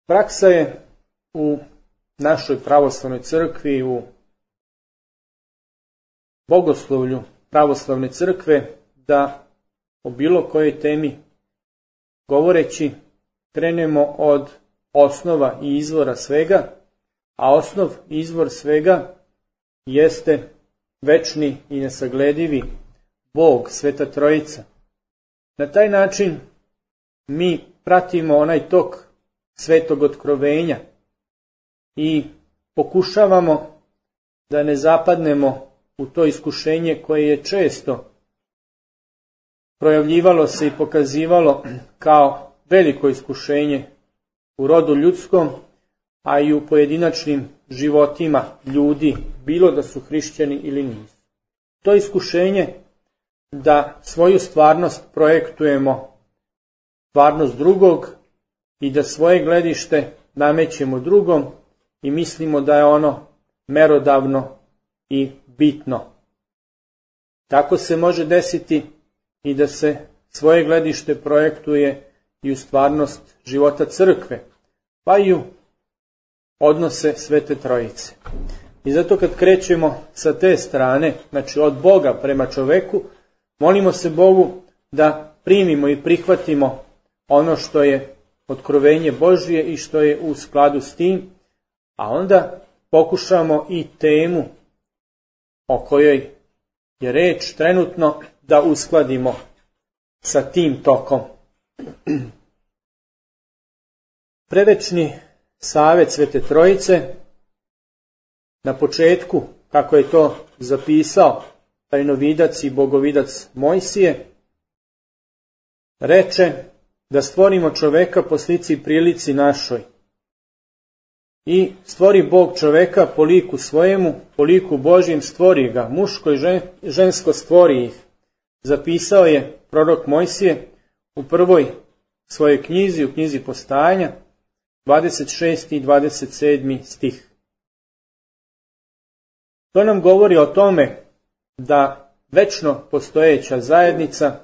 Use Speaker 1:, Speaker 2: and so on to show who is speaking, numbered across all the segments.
Speaker 1: Praksa je u našoj pravoslavnoj crkvi, u bogoslovlju pravoslavne crkve, da o bilo kojoj temi govoreći krenemo od osnova i izvora svega, a osnov i izvor svega jeste večni i nesagledivi Bog, Sveta Trojica. Na taj način mi pratimo onaj tok svetog otkrovenja i pokušavamo da ne zapadnemo u to iskušenje koje je često projavljivalo se i pokazivalo kao veliko iskušenje u rodu ljudskom, a i u pojedinačnim životima ljudi, bilo da su hrišćani ili nisu. To iskušenje da svoju stvarnost projektujemo stvarnost drugog i da svoje gledište namećemo drugom i mislimo da je ono merodavno i bitno. Tako se može desiti i da se svoje gledište projektuje i u stvarnost života crkve, pa i u odnose Svete Trojice. I zato kad krećemo sa te strane, znači od Boga prema čoveku, molimo se Bogu da primimo i prihvatimo ono što je otkrovenje Božje i što je u skladu s tim, a onda pokušamo i temu o kojoj je reč trenutno da uskladimo sa tim tokom. Predvečni Savet Svete Trojice na početku, kako je to zapisao tajnovidac i bogovidac Mojsije, reče da stvorimo čoveka po slici i prilici našoj. I stvori Bog čoveka po liku svojemu, po liku Božjem stvori ga, muško i žensko stvori ih. Zapisao je prorok Mojsije u prvoj svojoj knjizi, u knjizi Postajanja, 26. i 27. stih. To nam govori o tome da večno postojeća zajednica,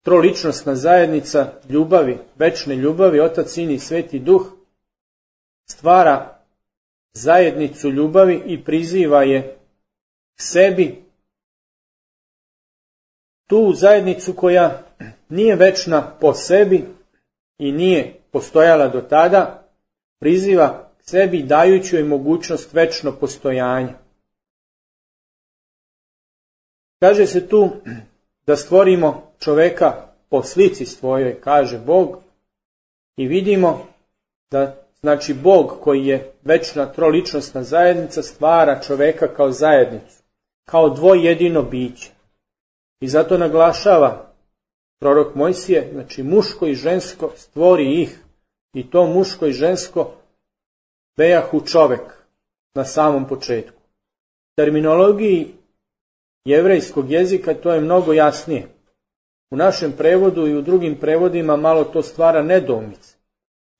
Speaker 1: troličnosna zajednica ljubavi, večne ljubavi, Otac, Sin i Sveti Duh, stvara zajednicu ljubavi i priziva je k sebi, tu zajednicu koja nije večna po sebi i nije postojala do tada, priziva k sebi dajući joj mogućnost večno postojanja. Kaže se tu da stvorimo čoveka po slici svojoj, kaže Bog, i vidimo da znači Bog koji je večna troličnosna zajednica stvara čoveka kao zajednicu, kao dvojedino biće. I zato naglašava prorok Mojsije, znači muško i žensko stvori ih, i to muško i žensko bejahu čovek na samom početku. Terminologiji jevrejskog jezika to je mnogo jasnije. U našem prevodu i u drugim prevodima malo to stvara nedoumice.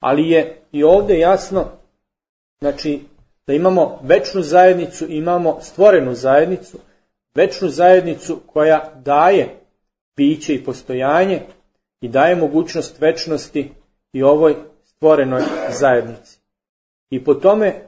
Speaker 1: Ali je i ovdje jasno, znači, da imamo večnu zajednicu, imamo stvorenu zajednicu, večnu zajednicu koja daje biće i postojanje i daje mogućnost večnosti i ovoj stvorenoj zajednici. I po tome